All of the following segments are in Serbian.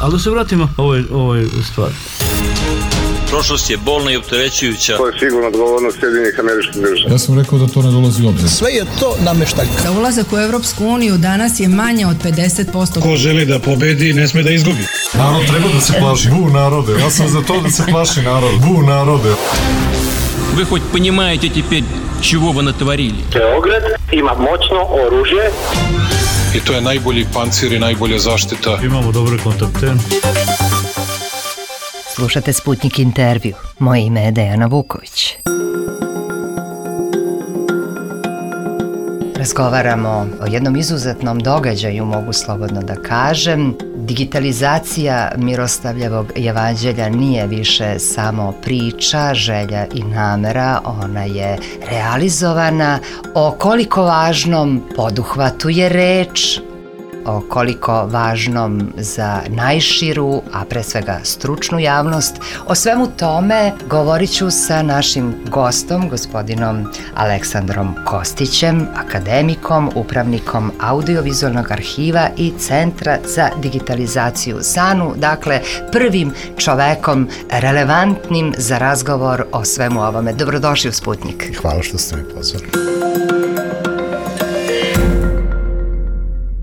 Ali da se vratimo ovoj stvari. Prošlost je bolna i opterećujuća. To je sigurno odgovornost Sjedinjenih Američkih Država. Ja sam rekao da to ne dolazi u obzir. Sve je to nameštaljka. Za ulazak u Evropsku uniju danas je manje od 50%. Ko želi da pobedi, ne sme da izgubi. Narod treba da se plaši. Bu narode. Ja sam za to da se plaši narod. Bu narode. Вы хоть понимаете теперь, чего вы натворили? Beograd ima moćno oružje. I to je najbolji pancir i najbolja zaštita. Imamo dobre kontakte. Slušate Sputnik intervju. Moje ime je Dejana Vuković. Razgovaramo o jednom izuzetnom događaju, mogu slobodno da kažem. Digitalizacija Miroslavljevog jevanđelja nije više samo priča, želja i namera, ona je realizovana. O koliko važnom poduhvatu je reč, o koliko važnom za najširu, a pre svega stručnu javnost. O svemu tome govorit ću sa našim gostom, gospodinom Aleksandrom Kostićem, akademikom, upravnikom Audiovizualnog arhiva i Centra za digitalizaciju SANU, dakle prvim čovekom relevantnim za razgovor o svemu ovome. Dobrodošli u Sputnik. Hvala što ste me pozvali.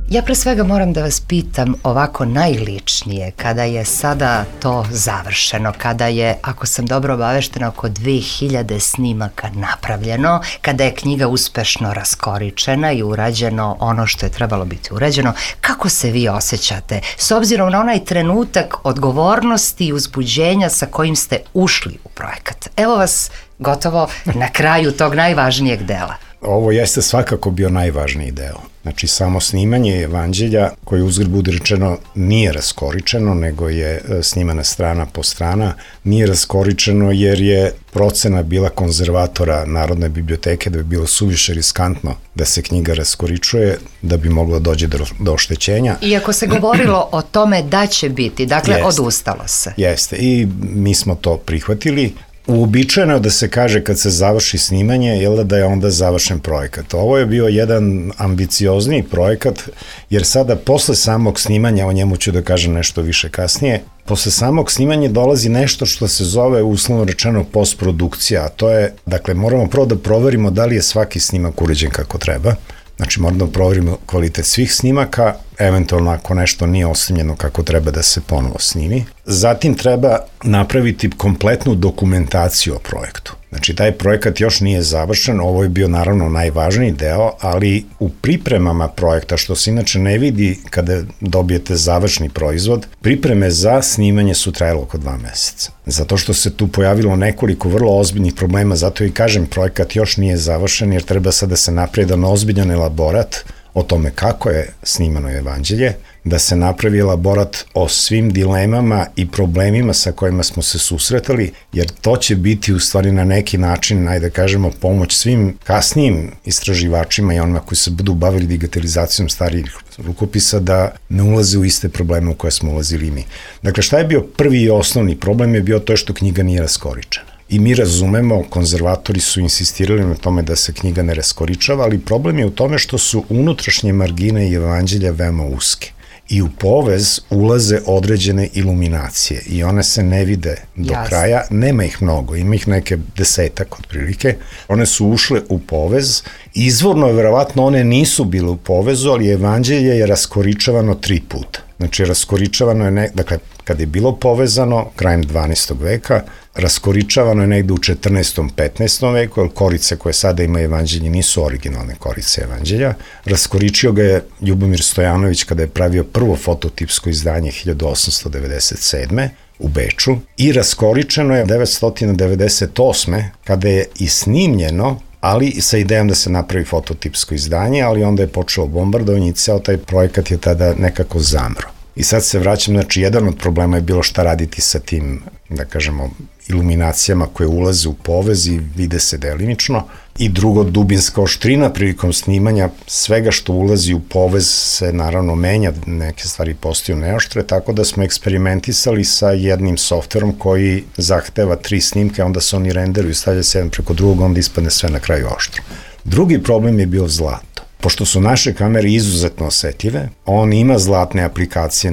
Ja pre svega moram da vas pitam ovako najličnije, kada je sada to završeno, kada je, ako sam dobro obaveštena, oko 2000 snimaka napravljeno, kada je knjiga uspešno raskoričena i urađeno ono što je trebalo biti urađeno, kako se vi osjećate s obzirom na onaj trenutak odgovornosti i uzbuđenja sa kojim ste ušli u projekat? Evo vas gotovo na kraju tog najvažnijeg dela. Ovo jeste svakako bio najvažniji deo. Znači, samo snimanje evanđelja, koje uzgred budi rečeno nije raskoričeno, nego je snimana strana po strana, nije raskoričeno jer je procena bila konzervatora Narodne biblioteke da bi bilo suviše riskantno da se knjiga raskoričuje, da bi moglo dođe do oštećenja. Iako se govorilo o tome da će biti, dakle odustalo se. Jeste, i mi smo to prihvatili. Uobičajeno je da se kaže kad se završi snimanje, da je onda završen projekat. Ovo je bio jedan ambiciozniji projekat, jer sada posle samog snimanja, o njemu ću da kažem nešto više kasnije, posle samog snimanja dolazi nešto što se zove uslovno rečeno postprodukcija, a to je, dakle, moramo prvo da proverimo da li je svaki snimak urađen kako treba. Znači, moramo da proverimo kvalitet svih snimaka, eventualno ako nešto nije osnimljeno kako treba da se ponovo snimi. Zatim treba napraviti kompletnu dokumentaciju o projektu. Znači, taj projekat još nije završen, ovo je bio naravno najvažniji deo, ali u pripremama projekta, što se inače ne vidi kada dobijete završni proizvod, pripreme za snimanje su trajalo oko 2 meseca. Zato što se tu pojavilo nekoliko vrlo ozbiljnih problema, zato i kažem, projekat još nije završen, jer treba sad da se napravi jedan ozbiljan elaborat o tome kako je snimano evanđelje, da se napravi elaborat o svim dilemama i problemima sa kojima smo se susretali, jer to će biti u stvari na neki način, ajde da kažemo, pomoć svim kasnijim istraživačima i onima koji se budu bavili digitalizacijom starijih rukopisa da ne ulaze u iste probleme u koje smo ulazili mi. Dakle, šta je bio prvi i osnovni problem je bio to što knjiga nije raskoričena. I mi razumemo, konzervatori su insistirali na tome da se knjiga ne raskoričava, ali problem je u tome što su unutrašnje margine i evanđelja veoma uske. I u povez ulaze određene iluminacije i one se ne vide do kraja, nema ih mnogo, ima ih neke 10-ak otprilike. One su ušle u povez, izvorno verovatno one nisu bile u povezu, ali evanđelje je raskoričavano 3 puta. Znači, raskoričavano je, dakle, kad je bilo povezano, krajem 12. veka, raskoričavano je negde u 14. 15. veku, jer korice koje sada ima evanđelje nisu originalne korice evanđelja. Raskoričio ga je Ljubomir Stojanović kada je pravio prvo fototipsko izdanje 1897. u Beču i raskoričeno je 998. kada je i snimljeno, ali sa idejom da se napravi fototipsko izdanje, ali onda je počelo bombardovanje i ceo taj projekat je tada nekako zamro. I sad se vraćam, znači, jedan od problema je bilo šta raditi sa tim, da kažemo, iluminacijama koje ulaze u povez i vide se delimično. I drugo, dubinska oštrina prilikom snimanja, svega što ulazi u povez se naravno menja, neke stvari postaju neoštre, tako da smo eksperimentisali sa jednim softverom koji zahteva 3 snimke, onda se oni renderuju, stavlja se jedan preko drugog, onda ispadne sve na kraju oštro. Drugi problem je bio zlato. pošto su naše kamere izuzetno osetljive, on ima zlatne aplikacije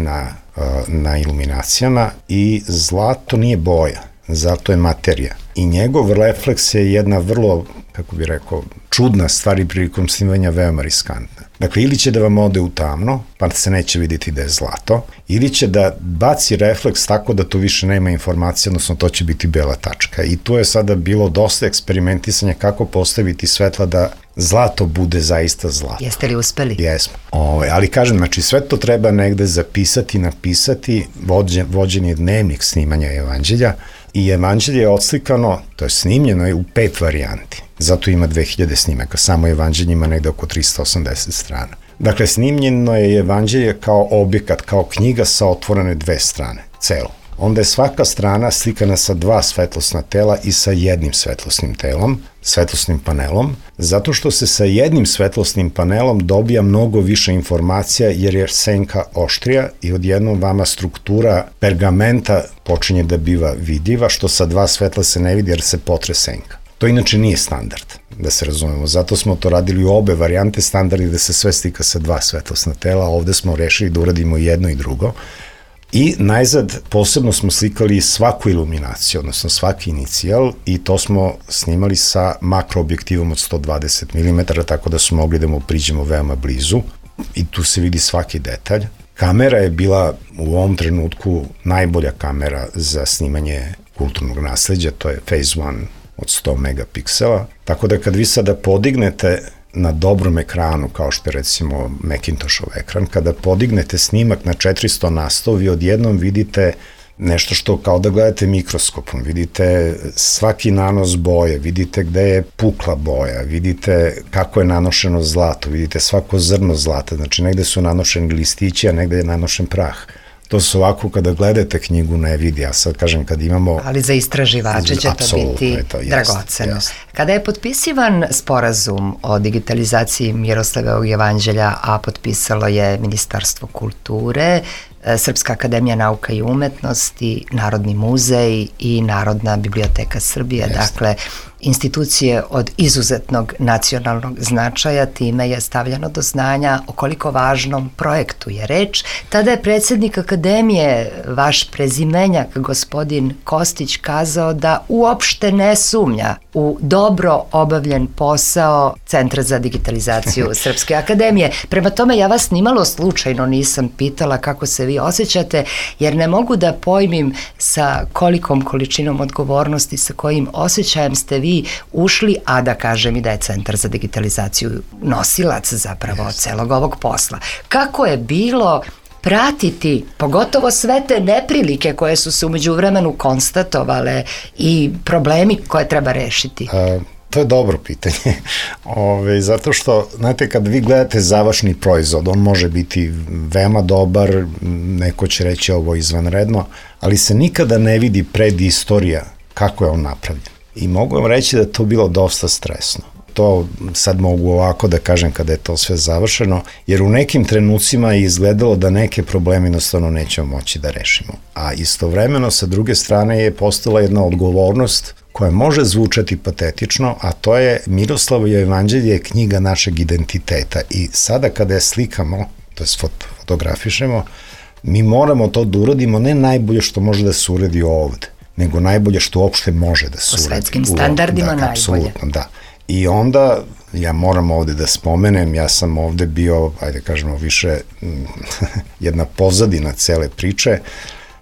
na iluminacijama i zlato nije boja, zato je materija. I njegov refleks je jedna vrlo, kako bih rekao, čudna stvar i prilikom snimanja veoma riskantna. Dakle, ili će da vam ode u tamno, pa se neće vidjeti da je zlato, ili će da baci refleks tako da tu više nema informacije, odnosno to će biti bela tačka. I tu je sada bilo dosta eksperimentisanja kako postaviti svetla da zlato bude zaista zlato. Jeste li uspeli? Jesmo. Ali kažem, znači sve to treba negde zapisati, napisati, vođen je dnevnik snimanja evanđelja i evanđelje je odslikano, to je snimljeno je u 5 varijanti. Zato ima 2000 snimaka, samo evanđelje ima negde oko 380 strana. Dakle, snimljeno je evanđelje kao objekat, kao knjiga sa otvorene 2 strane, celo. Onda je svaka strana slikana sa 2 svetlosna tela i sa jednim svetlosnim telom, svetlosnim panelom, zato što se sa jednim svetlosnim panelom dobija mnogo više informacija jer je senka oštrija i odjednom vama struktura pergamenta počinje da biva vidljiva, što sa 2 svetla se ne vidi jer se potre senka. To inače nije standard, da se razumemo. Zato smo to radili u obe varijante, standardi da se sve slika sa 2 svetlosna tela, a ovde smo rešili da uradimo jedno i drugo. I najzad posebno smo slikali svaku iluminaciju, odnosno svaki inicijal i to smo snimali sa makroobjektivom od 120 mm, tako da smo mogli da mu priđemo veoma blizu i tu se vidi svaki detalj. Kamera je bila u ovom trenutku najbolja kamera za snimanje kulturnog nasleđa, to je Phase 1 od 100 megapiksela, tako da kad vi sada podignete na dobrom ekranu, kao što je recimo Macintoshov ekran, kada podignete snimak na 400 na 100, vi odjednom vidite nešto što kao da gledate mikroskopom, vidite svaki nanos boje, vidite gde je pukla boja, vidite kako je nanošeno zlato, vidite svako zrno zlata, znači negde su nanošeni listići, a negde je nanošen prah. To su ovako kada gledate knjigu ne vidi, a sad kažem kad imamo... Ali za istraživače će to biti dragoceno. Kada je potpisivan sporazum o digitalizaciji Miroslavljevog jevanđelja, a potpisalo je Ministarstvo kulture, Srpska akademija nauka i umetnosti, Narodni muzej i Narodna biblioteka Srbije, dakle institucije od izuzetnog nacionalnog značaja, time je stavljeno do znanja o koliko važnom projektu je reč. Tada je predsjednik akademije, vaš prezimenjak, gospodin Kostić, kazao da uopšte ne sumnja u dobro obavljen posao Centra za digitalizaciju Srpske akademije. Prema tome, ja vas nimalo slučajno nisam pitala kako se vi osjećate, jer ne mogu da pojmim sa kolikom količinom odgovornosti, sa kojim osjećajem ste vi ušli, a da kažem i da je Centar za digitalizaciju nosilac zapravo celog ovog posla. Kako je bilo pratiti, pogotovo sve te neprilike koje su se umeđu vremenu konstatovale i problemi koje treba rešiti? To je dobro pitanje, zato što, znate, kad vi gledate završni proizvod, on može biti veoma dobar, neko će reći ovo izvanredno, ali se nikada ne vidi predistorija kako je on napravljen. I mogu vam reći da je to bilo dosta stresno. To sad mogu ovako da kažem kada je to sve završeno, jer u nekim trenucima je izgledalo da neke probleme jednostavno nećemo moći da rešimo. A istovremeno, sa druge strane, je postala jedna odgovornost koja može zvučati patetično, a to je Miroslavljevo jevanđelje je knjiga našeg identiteta i sada kada je slikamo, to je fotografišemo, mi moramo to da uradimo ne najbolje što može da se uradi ovde, nego najbolje što uopšte može da se uradi. Po svetskim standardima najbolje. Apsolutno, da. I onda, ja moram ovde da spomenem, ja sam ovde bio, ajde kažemo više, jedna pozadina cele priče.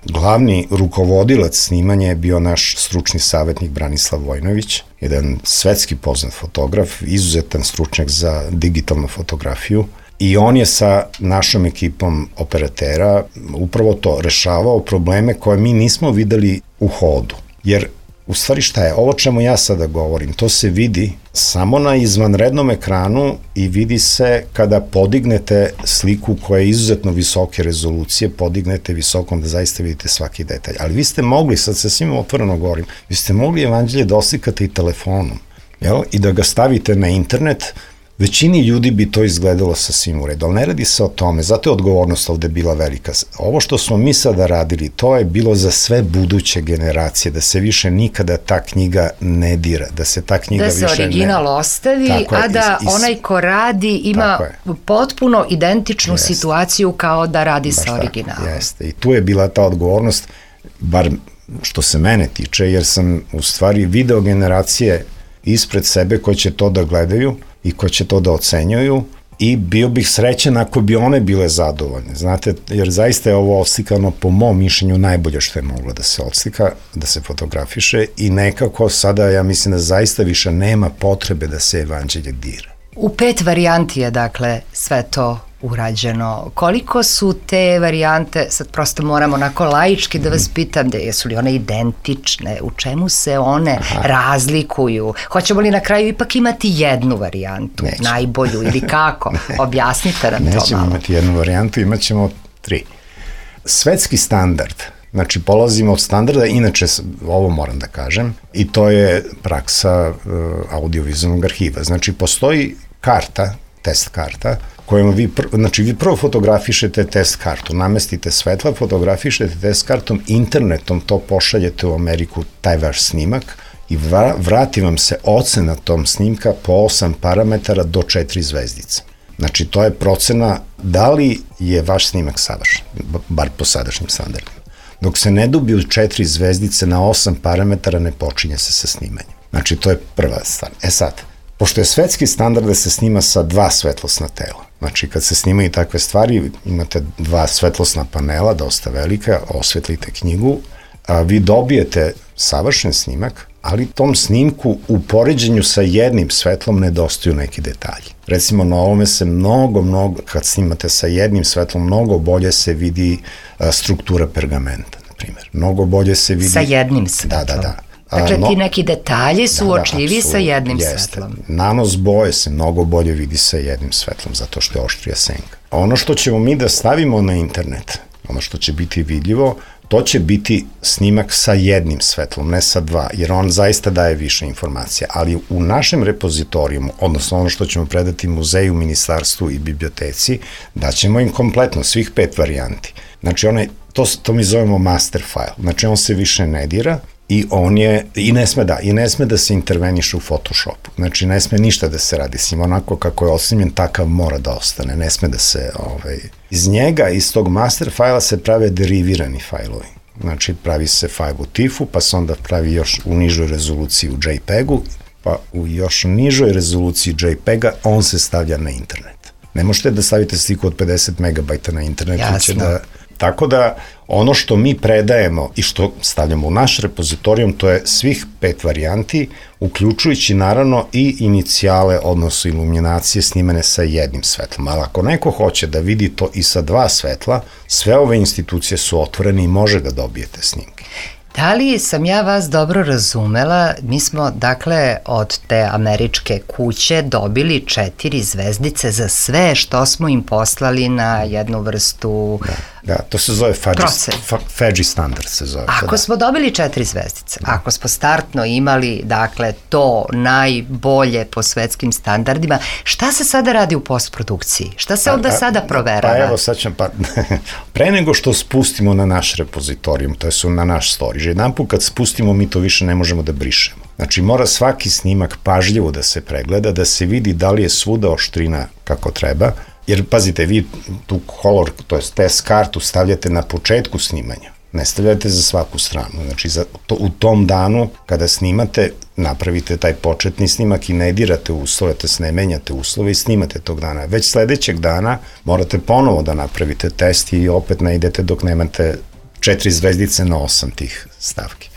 Glavni rukovodilac snimanja je bio naš stručni savjetnik Branislav Vojnović, jedan svetski poznat fotograf, izuzetan stručnjak za digitalnu fotografiju, i on je sa našom ekipom operatera upravo to rešavao probleme koje mi nismo videli u hodu. Jer u stvari šta je, ovo čemu ja sada govorim, to se vidi samo na izvanrednom ekranu i vidi se kada podignete sliku koja je izuzetno visoke rezolucije, podignete visokom da zaista vidite svaki detalj. Ali vi ste mogli, sad se svima otvoreno govorim, vi ste mogli evanđelje da oslikate i telefonom, jel? I da ga stavite na internet, većini ljudi bi to izgledalo sasvim u redu, ali ne radi se o tome, zato je odgovornost ovde bila velika. Ovo što smo mi sada radili, to je bilo za sve buduće generacije, da se više nikada ta knjiga ne dira, da se ta knjiga više ne... Da se original ostavi, a da onaj ko radi ima potpuno identičnu situaciju kao da radi sa originalom. Jeste, i tu je bila ta odgovornost, bar što se mene tiče, jer sam u stvari video generacije ispred sebe koji će to da gledaju i koji će to da ocenjuju i bio bih srećen ako bi one bile zadovoljne, znate, jer zaista je ovo oslikano po mom mišljenju najbolje što je moglo da se odslika, da se fotografiše i nekako sada ja mislim da zaista više nema potrebe da se evanđelje dira. U 5 varijanti je dakle sve to urađeno. Koliko su te varijante, sad prosto moram onako laički da vas pitam, da jesu li one identične, u čemu se one razlikuju? Hoćemo li na kraju ipak imati jednu varijantu, najbolju ili kako? Objasnite nam to malo. Nećemo imati jednu varijantu, imat ćemo 3. Svetski standard, znači polazimo od standarda, inače ovo moram da kažem, i to je praksa audiovizualnog arhiva. Znači postoji karta, test karta, kojom vi prvo fotografišete test kartu, namestite svetla, fotografišete test kartom, internetom to pošaljete u Ameriku, taj vaš snimak, i vrati vam se ocena tom snimka po 8 parametara do 4 zvezdice. Znači, to je procena da li je vaš snimak savršen, bar po sadašnjim standardima. Dok se ne dobiju 4 zvezdice na 8 parametara, ne počinje se sa snimanjem. Znači, to je prva stvar. Sad, pošto je svetski standard da se snima sa 2 svetlosna tela, znači kad se snimaju takve stvari, imate 2 svetlosna panela, dosta velika, osvetlite knjigu, a vi dobijete savršen snimak, ali tom snimku u poređenju sa jednim svetlom nedostaju neki detalji. Recimo na ovome se mnogo, kad snimate sa jednim svetlom, mnogo bolje se vidi struktura pergamenta, na primjer. Mnogo bolje se vidi... Sa jednim svetlom? Da. Dakle, ti neki detalji su uočljivi sa jednim svetlom. Nanos boje se mnogo bolje vidi sa jednim svetlom, zato što je oštrija senka. Ono što ćemo mi da stavimo na internet, ono što će biti vidljivo, to će biti snimak sa jednim svetlom, ne sa 2, jer on zaista daje više informacija. Ali u našem repozitorijumu, odnosno ono što ćemo predati muzeju, ministarstvu i biblioteci, daćemo im kompletno svih 5 varijanti. Znači, to mi zovemo master file. Znači, on se više ne dira, i on je, i ne sme da se interveniše u Photoshopu. Znači, ne sme ništa da se radi s njim, onako kako je osnimljen, takav mora da ostane, ne sme da se, iz njega, iz tog master fajla se prave derivirani fajlovi. Znači, pravi se fajl u TIFF-u, pa se onda pravi još u nižoj rezoluciji u JPEG-u, pa u još nižoj rezoluciji JPEG-a on se stavlja na internet. Ne možete da stavite sliku od 50 megabajta na internetu. Jasno. Tako da, ono što mi predajemo i što stavljamo u naš repozitorijum, to je svih 5 varijanti, uključujući naravno i inicijale, odnosno iluminacije snimane sa jednim svetlom. Ali ako neko hoće da vidi to i sa 2 svetla, sve ove institucije su otvorene i može da dobijete snimke. Da li sam ja vas dobro razumela? Mi smo, dakle, od te američke kuće dobili 4 zvezdice za sve što smo im poslali na jednu vrstu... Da, to se zove FADGI standard se zove. Ako smo dobili 4 zvezdice, ako smo startno imali, dakle, to najbolje po svetskim standardima, šta se sada radi u postprodukciji? Šta se onda sada proverava? Pa evo, sad ćem, pre nego što spustimo na naš repozitorijum, to je na naš storage, jedan put kad spustimo, mi to više ne možemo da brišemo. Znači, mora svaki snimak pažljivo da se pregleda, da se vidi da li je svuda oštrina kako treba, jer, pazite, vi tu color, to je test kartu, stavljate na početku snimanja, ne stavljate za svaku stranu. Znači, u tom danu, kada snimate, napravite taj početni snimak i ne dirate uslove, ne menjate uslove i snimate tog dana. Već sledećeg dana morate ponovo da napravite test i opet ne idete dok nemate 4 zvezdice na 8 tih stavki.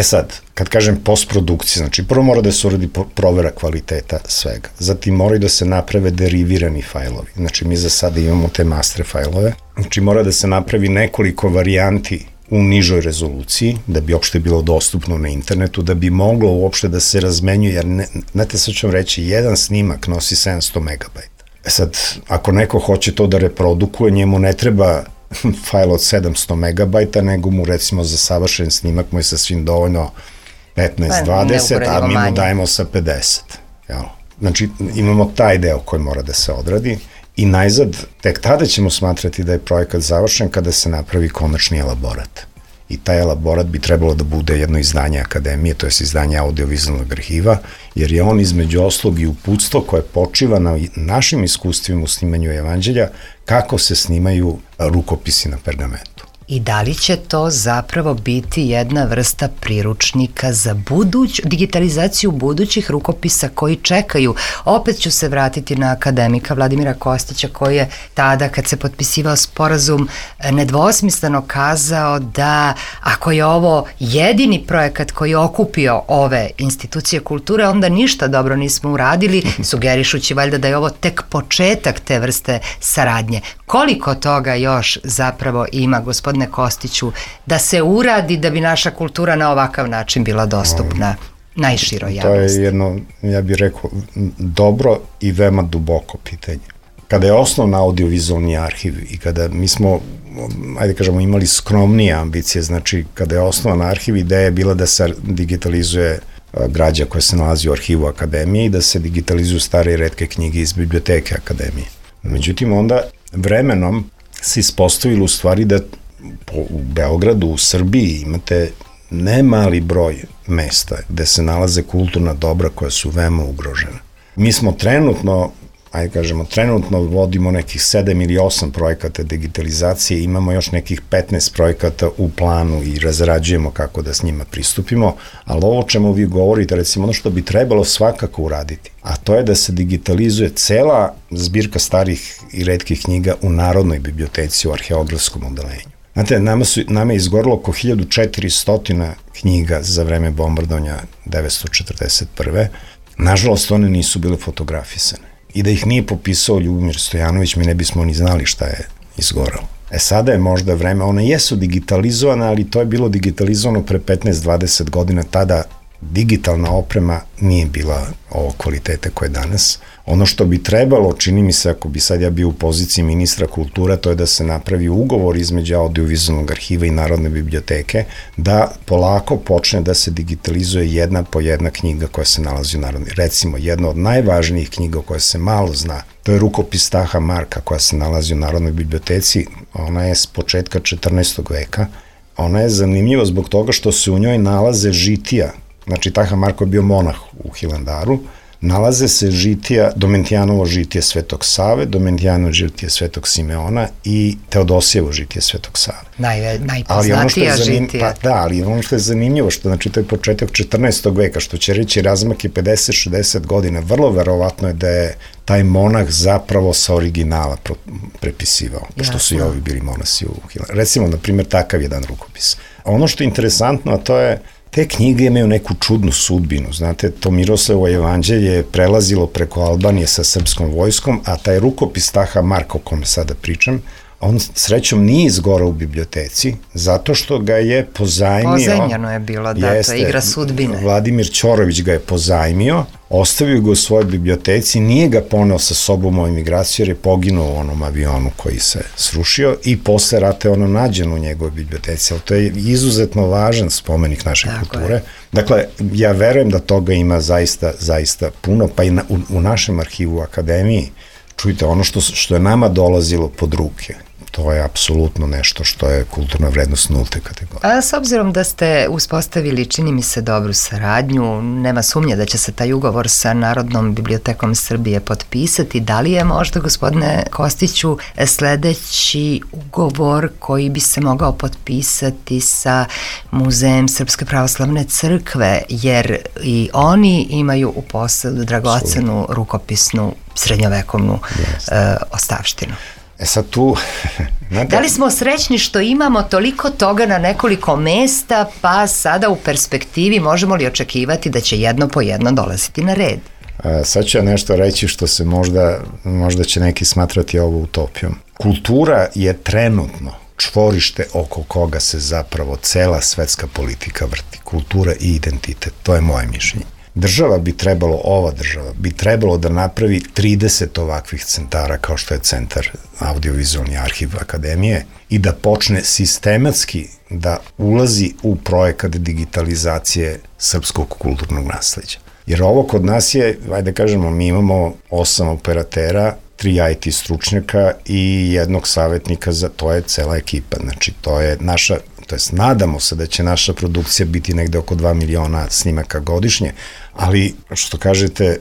Sad, kad kažem postprodukcija, znači prvo mora da se uradi provera kvaliteta svega, zatim moraju da se naprave derivirani fajlovi, znači mi za sada imamo te master fajlove, znači mora da se napravi nekoliko varijanti u nižoj rezoluciji, da bi uopšte bilo dostupno na internetu, da bi moglo uopšte da se razmenjuje, jer, znate, sad ću vam reći, jedan snimak nosi 700 megabajta. Sad, ako neko hoće to da reprodukuje, njemu ne treba fajl od 700 megabajta, nego mu recimo za savršen snimak mu je sasvim dovoljno 15-20, a mi mu dajemo sa 50. Znači, imamo taj deo koji mora da se odradi i najzad, tek tada ćemo smatrati da je projekat završen kada se napravi konačni elaborat. I taj elaborat bi trebalo da bude jedno izdanje akademije, to je izdanje audiovizualnog arhiva, jer je on između oslog i uputstvo koje počiva na našim iskustvima u snimanju evanđelja, kako se snimaju rukopisi na pergamentu. I da li će to zapravo biti jedna vrsta priručnika za digitalizaciju budućih rukopisa koji čekaju? Opet ću se vratiti na akademika Vladimira Kostića koji je tada kad se potpisivao sporazum nedvosmisleno kazao da ako je ovo jedini projekat koji je okupio ove institucije kulture, onda ništa dobro nismo uradili, sugerišući valjda da je ovo tek početak te vrste saradnje. Koliko toga još zapravo ima, gospodine Kostiću, da se uradi da bi naša kultura na ovakav način bila dostupna najširoj javnosti? To je jedno, ja bih rekao, dobro i veoma duboko pitanje. Kada je osnovna audiovizualni arhiv i kada mi smo, ajde kažemo, imali skromnije ambicije, znači kada je osnovan arhiv, ideja je bila da se digitalizuje građa koja se nalazi u arhivu akademije i da se digitalizuju stare i retke knjige iz biblioteke akademije. Međutim, onda vremenom se ispostavilo u stvari da u Beogradu, u Srbiji imate ne mali broj mesta gde se nalaze kulturna dobra koja su veoma ugrožena. Mi smo trenutno vodimo nekih 7 ili 8 projekata digitalizacije, imamo još nekih 15 projekata u planu i razrađujemo kako da s njima pristupimo, ali ovo čemu vi govorite, recimo ono što bi trebalo svakako uraditi, a to je da se digitalizuje cela zbirka starih i retkih knjiga u Narodnoj biblioteci u arheografskom odeljenju. Znate, nama je izgorilo oko 1400 knjiga za vreme bombardovanja 1941. Nažalost, one nisu bile fotografisane. I da ih nije popisao Ljubomir Stojanović, mi ne bismo ni znali šta je izgoralo. Sada je možda vreme, one jesu digitalizovane, ali to je bilo digitalizovano pre 15-20 godina, tada digitalna oprema nije bila ovo kvalitete koje je danas. Ono što bi trebalo, čini mi se, ako bi sad ja bio u poziciji ministra kultura, to je da se napravi ugovor između audiovizualnog arhiva i Narodne biblioteke, da polako počne da se digitalizuje jedna po jedna knjiga koja se nalazi u Narodnoj. Recimo, jedna od najvažnijih knjiga koja se malo zna, to je rukopis Taha Marka koja se nalazi u Narodnoj biblioteci, ona je s početka 14. veka. Ona je zanimljiva zbog toga što se u njoj nalaze žitija. Znači, Taha Marko je bio monah u Hilandaru, nalaze se žitija, Domentijanovo žitije Svetog Save, Domentijanovo žitije Svetog Simeona i Teodosijevo žitije Svetog Save. Najpoznatija žitija. Da, ali ono što je zanimljivo, što znači to je početak 14. veka, što će reći razmak je 50-60 godina, vrlo verovatno je da je taj monah zapravo sa originala prepisivao, pošto su i ovi bili monasi u Hilandaru. Recimo, na primjer, takav jedan rukopis. Ono što je interesantno, a to je te knjige imaju neku čudnu sudbinu, znate, to Miroslavovo evanđelje je prelazilo preko Albanije sa srpskom vojskom, a taj rukopis Taha Marka o kome sada pričam, on srećom nije izgorao u biblioteci, zato što ga je pozajmio. Pozajmljeno je bilo, da, to je igra sudbine. Vladimir Ćorović ga je pozajmio, ostavio ga u svojoj biblioteci, nije ga poneo sa sobom u emigraciju jer je poginuo u onom avionu koji se srušio i posle rata je ono nađeno u njegovoj biblioteci, ali to je izuzetno važan spomenik naše kulture. Dakle, ja verujem da toga ima zaista puno, pa i u našem arhivu u akademiji, čujte, ono što je nama dolazilo pod ruke, to je apsolutno nešto što je kulturna vrednost nulte kategorije. A s obzirom da ste uspostavili, čini mi se, dobru saradnju, nema sumnje da će se taj ugovor sa Narodnom bibliotekom Srbije potpisati, da li je možda, gospodine Kostiću, sledeći ugovor koji bi se mogao potpisati sa Muzejem Srpske pravoslavne crkve, jer i oni imaju u posedu dragocenu rukopisnu srednjovekovnu ostavštinu. Sad tu... Da li smo srećni što imamo toliko toga na nekoliko mesta, pa sada u perspektivi možemo li očekivati da će jedno po jedno dolaziti na red? Sad ću ja nešto reći što se možda će neki smatrati ovo utopijom. Kultura je trenutno čvorište oko koga se zapravo cela svetska politika vrti. Kultura i identitet, to je moje mišljenje. Ova država bi trebalo da napravi 30 ovakvih centara kao što je centar audiovizualni arhiv akademije i da počne sistematski da ulazi u projekat digitalizacije srpskog kulturnog nasleđa. Jer ovo kod nas je, ajde kažemo, mi imamo 8 operatera, 3 IT stručnjaka i jednog savjetnika, to je cela ekipa. Znači, to je naša, to jest nadamo se da će naša produkcija biti negde oko 2 miliona snimaka godišnje, ali što kažete,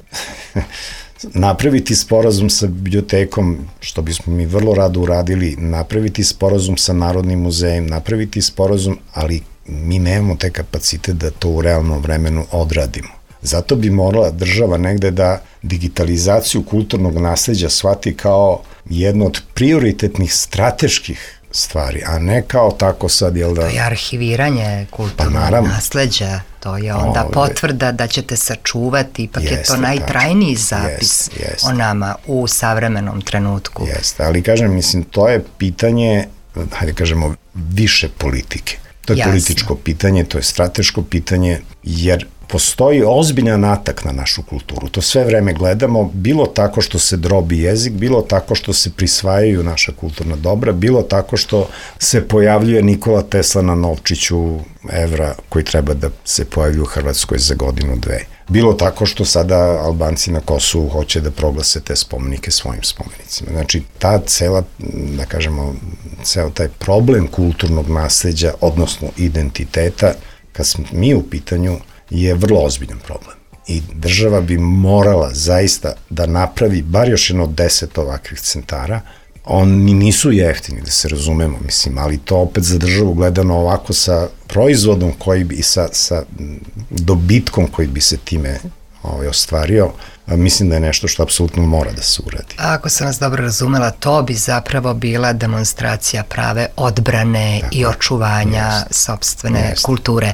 napraviti sporazum sa bibliotekom, što bismo mi vrlo rado uradili, napraviti sporazum sa Narodnim muzejem, napraviti sporazum, ali mi nemamo te kapacite da to u realnom vremenu odradimo. Zato bi morala država negde da digitalizaciju kulturnog nasleđa shvati kao jedno od prioritetnih strateških stvari, a ne kao tako sad, jel da... To je arhiviranje kulturnog nasleđa, to je onda potvrda da ćete sačuvati, ipak je to najtrajniji zapis o nama u savremenom trenutku. Jeste, ali kažem, mislim, to je pitanje, hajde kažemo, više politike. To je političko pitanje, to je strateško pitanje, jer postoji ozbiljan atak na našu kulturu. To sve vreme gledamo, bilo tako što se drobi jezik, bilo tako što se prisvajaju naša kulturna dobra, bilo tako što se pojavljuje Nikola Tesla na novčiću evra koji treba da se pojavlju u Hrvatskoj za godinu, dve. Bilo tako što sada Albanci na Kosovu hoće da proglase te spomenike svojim spomenicima. Znači, ta cela, da kažemo, ceo taj problem kulturnog nasleđa, odnosno identiteta, kad smo mi u pitanju, je vrlo ozbiljan problem. I država bi morala zaista da napravi bar još jedno 10 ovakvih centara. Oni nisu jeftini, da se razumemo, mislim, ali to opet za državu gledano ovako sa proizvodom koji bi, sa dobitkom koji bi se time ostvario, mislim da je nešto što apsolutno mora da se uradi. Ako sam vas dobro razumela, to bi zapravo bila demonstracija prave odbrane i očuvanja sopstvene kulture.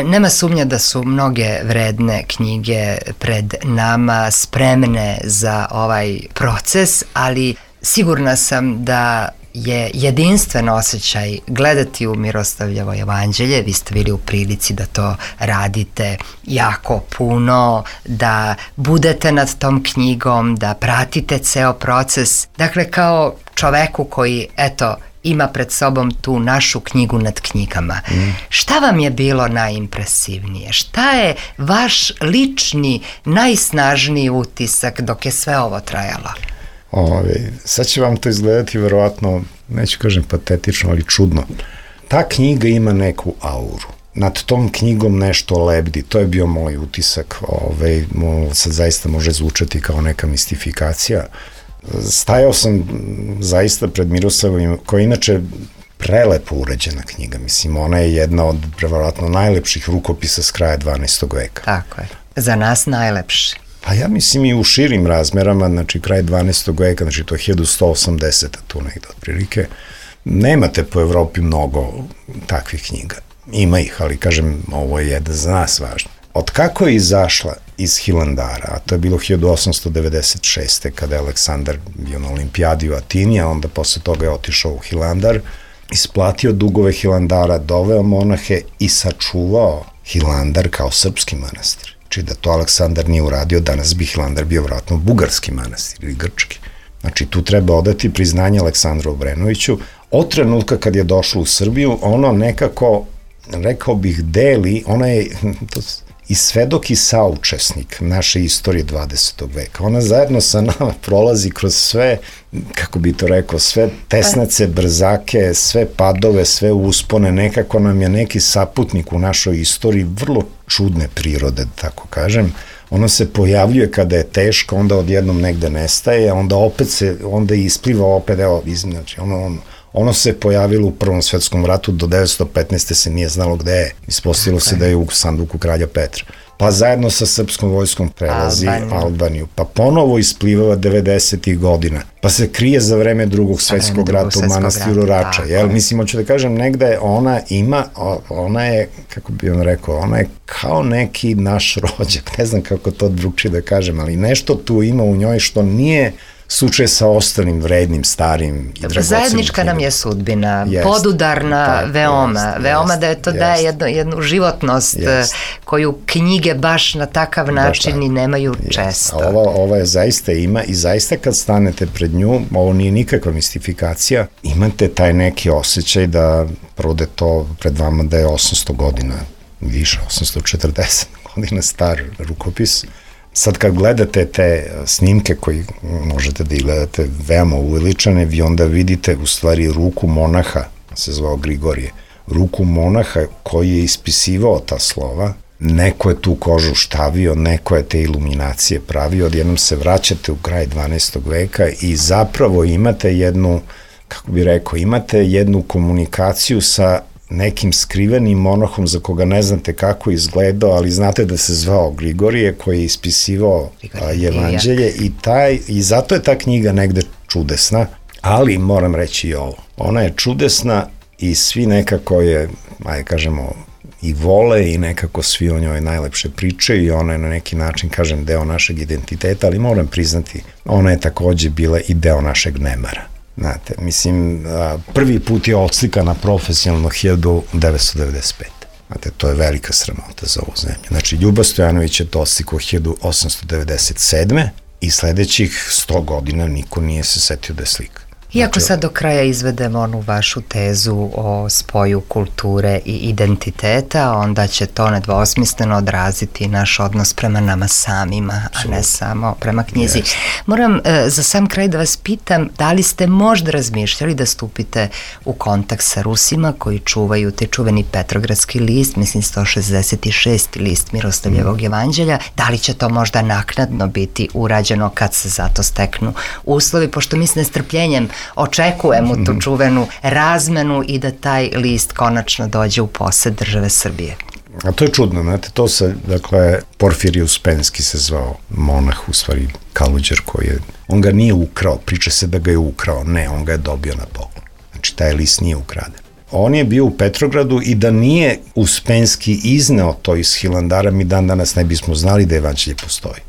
Nema sumnja da su mnoge vredne knjige pred nama spremne za ovaj proces, ali sigurna sam da je jedinstven osjećaj gledati u Miroslavljevo jevanđelje. Vi ste bili u prilici da to radite jako puno, da budete nad tom knjigom, da pratite ceo proces. Dakle, kao čoveku koji, eto, ima pred sobom tu našu knjigu nad knjigama. Šta vam je bilo najimpresivnije? Šta je vaš lični, najsnažniji utisak dok je sve ovo trajalo? Sad će vam to izgledati verovatno, neću kažem patetično, ali čudno. Ta knjiga ima neku auru. Nad tom knjigom nešto lebdi. To je bio moj utisak. Sad zaista može zvučati kao neka mistifikacija. Stajao sam zaista pred Miroslavljom, koja je inače prelepo uređena knjiga. Mislim, ona je jedna od verovatno najlepših rukopisa s kraja 12. veka. Tako je. Za nas najlepši. Pa ja mislim i u širim razmerama, znači kraj 12. veka, znači to je 1180. tu negde otprilike. Nemate po Evropi mnogo takvih knjiga. Ima ih, ali kažem, ovo je jedna za nas važna. Od kako je izašla iz Hilandara, a to je bilo 1896. kada je Aleksandar bio na olimpijadi u Atini, a onda posle toga je otišao u Hilandar, isplatio dugove Hilandara, doveo monahe i sačuvao Hilandar kao srpski manastir. Znači da to Aleksandar nije uradio, danas bi Hilandar bio vratno bugarski manastir ili grčki. Znači tu treba odati priznanje Aleksandru Obrenoviću. Od trenutka kad je došlo u Srbiju, ono nekako, rekao bih, deli, ona je i svedok i saučesnik naše istorije 20. veka. Ona zajedno sa nama prolazi kroz sve, kako bi to rekao, sve tesnace, brzake, sve padove, sve uspone, nekako nam je neki saputnik u našoj istoriji vrlo čudne prirode, da tako kažem. Ono se pojavljuje kada je teško, onda odjednom negde nestaje, onda opet onda ispliva opet, evo, znači, ono se pojavilo u Prvom svetskom ratu, do 1915. se nije znalo gde je. Ispostavilo se da je u sanduku kralja Petra. Pa zajedno sa srpskom vojskom prelazi Albaniju. Pa ponovo isplivava 90. godina. Pa se krije za vreme Drugog svetskog rata u manastiru Rača. Mislim, hoću da kažem, negde ona je, kako bi on rekao, ona je kao neki naš rođak. Ne znam kako to drugčije da kažem, ali nešto tu ima u njoj što nije slučaj sa ostalim vrednim, starim i dragocenim. Zajednička nam je sudbina, podudarna veoma da je to daje jednu životnost koju knjige baš na takav način i nemaju često. Ova je zaista ima i zaista kad stanete pred nju, ovo nije nikakva mistifikacija, imate taj neki osjećaj da prvo da je to pred vama da je 800 godina, više, 840 godina. godina star rukopis. Sad kad gledate te snimke koji možete da ih gledate veoma uveličane, vi onda vidite u stvari ruku monaha, se zvao Grigorije, ruku monaha koji je ispisivao ta slova, neko je tu kožu štavio, neko je te iluminacije pravio, odjednom se vraćate u kraj 12. veka i zapravo imate jednu, kako bi rekao, imate jednu komunikaciju sa nekim skrivenim monahom za koga ne znate kako je izgledao, ali znate da se zvao Grigorije, koji je ispisivao Evanđelje i zato je ta knjiga negde čudesna, ali moram reći i ovo. Ona je čudesna i svi nekako je, ajde kažemo, i vole i nekako svi o njoj najlepše pričaju i ona je na neki način, kažem, deo našeg identiteta, ali moram priznati, ona je takođe bila i deo našeg nemara. Znate, mislim, prvi put je odslikana profesionalno 1995. Znate, to je velika sramota za ovu zemlju. Znači, Ljuba Stojanović je to odslikao 1897. i sledećih 100 godina niko nije se setio da je slika. Iako sad do kraja izvedemo onu vašu tezu o spoju kulture i identiteta, onda će to nedvosmisleno odraziti naš odnos prema nama samima, a ne samo prema knjizi. Moram za sam kraj da vas pitam, da li ste možda razmišljali da stupite u kontakt sa Rusima koji čuvaju te čuveni Petrogradski list, mislim 166. list Miroslavljevog Evanđelja, da li će to možda naknadno biti urađeno kad se za to steknu uslovi, pošto mi s nestrpljenjem očekujemo tu čuvenu razmenu i da taj list konačno dođe u posed države Srbije. A to je čudno, znate, to se, dakle, Porfirij Uspenski se zvao monah, u stvari Kaluđer koji je, on ga nije ukrao, priča se da ga je ukrao, ne, on ga je dobio na poklon. Znači, taj list nije ukraden. On je bio u Petrogradu i da nije Uspenski izneo to iz Hilandara, mi dan danas ne bismo znali da Evanđelje postoji.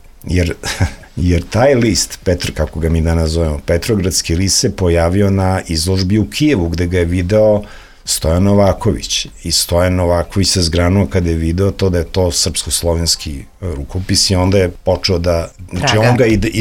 Jer taj list, kako ga mi danas zovemo, Petrogradski list se pojavio na izložbi u Kijevu, gde ga je video Stojan Novaković. I Stojan Novaković se zgranuo kada je video to da je to srpsko-slovenski rukopis i onda je počeo da, znači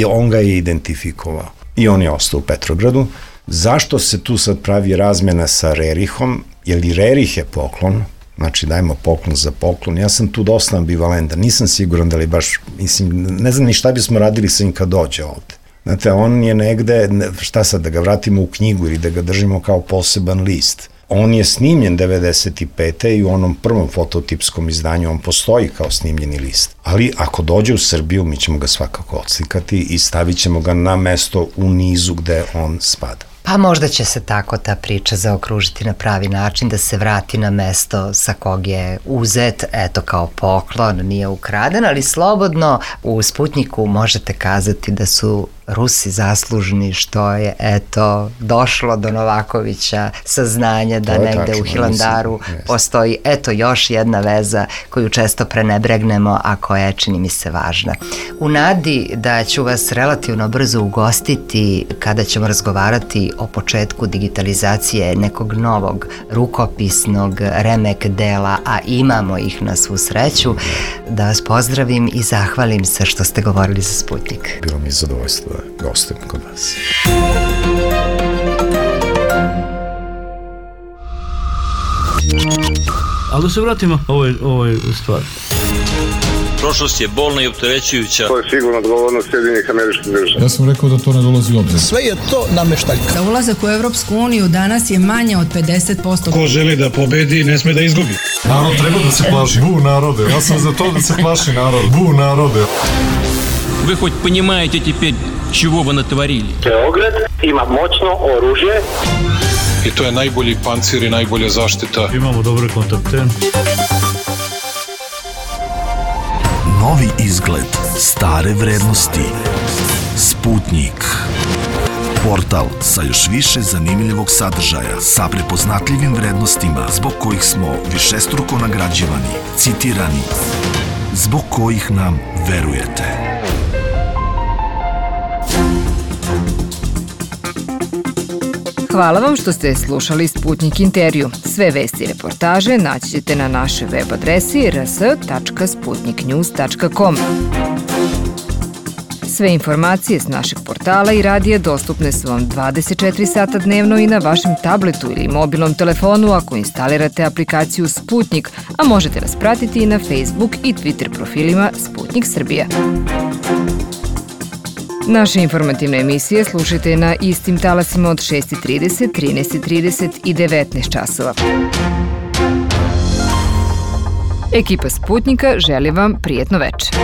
on ga je identifikovao. I on je ostao u Petrogradu. Zašto se tu sad pravi razmjena sa Rerihom? Jer i Rerih je poklon, znači dajmo poklon za poklon. Ja sam tu dosta ambivalentan, nisam siguran da li baš, mislim, ne znam ni šta bismo radili sa njim kad dođe ovde. Znate, on je negde, šta sad, da ga vratimo u knjigu ili da ga držimo kao poseban list. On je snimljen 95. i u onom prvom fototipskom izdanju on postoji kao snimljeni list. Ali ako dođe u Srbiju, mi ćemo ga svakako odslikati i stavit ćemo ga na mesto u nizu gde on spada. Pa možda će se tako ta priča zaokružiti na pravi način, da se vrati na mesto sa kog je uzet, eto kao poklon, nije ukraden, ali slobodno u Sputnjiku možete kazati da su Rusi zaslužni što je, eto, došlo do Novakovića saznanje da negde u Hilandaru postoji, eto, još jedna veza koju često prenebregnemo, a koja je, čini mi se, važna. U nadi da ću vas relativno brzo ugostiti kada ćemo razgovarati o početku digitalizacije nekog novog rukopisnog remek dela, a imamo ih na svu sreću, da vas pozdravim i zahvalim se što ste govorili za Sputnjik. Bilo mi je zadovoljstvo da gostujem kod vas. Ali da se vratimo ovoj stvari. Prošlost je bolna i opterećujuća. To je sigurno odgovornost Sjedinjenih Američkih Država. Ja sam rekao da to ne dolazi u obzir. Sve je to nameštaljka. Za ulazak u Evropsku uniju danas je manje od 50%. Ko želi da pobedi, ne sme da izgubi. Narod treba da se plaši. Bu narode, ja sam za to da se plaši narod. Bu narode. Вы хоть понимаете теперь, чего вы натворили? Beograd ima moćno oružje. I to je najbolji pancir i najbolja zaštita. Imamo dobre kontakte. Novi izgled, stare vrednosti. Sputnjik. Portal sa još više zanimljivog sadržaja, sa prepoznatljivim vrednostima zbog kojih smo višestruko nagrađivani, citirani, zbog kojih nam verujete. Hvala vam što ste slušali Sputnjik intervju. Sve vesti i reportaže naći ćete na našoj web adresi rs.sputniknews.com. Sve informacije s našeg portala i radija dostupne su vam 24 sata dnevno i na vašem tabletu ili mobilnom telefonu ako instalirate aplikaciju Sputnik, a možete nas pratiti i na Facebook i Twitter profilima Sputnik Srbija. Naše informativne emisije slušajte na istim talasima od 6:30, 13:30 i 19 časova. Ekipa Sputnika želi vam prijetno večer.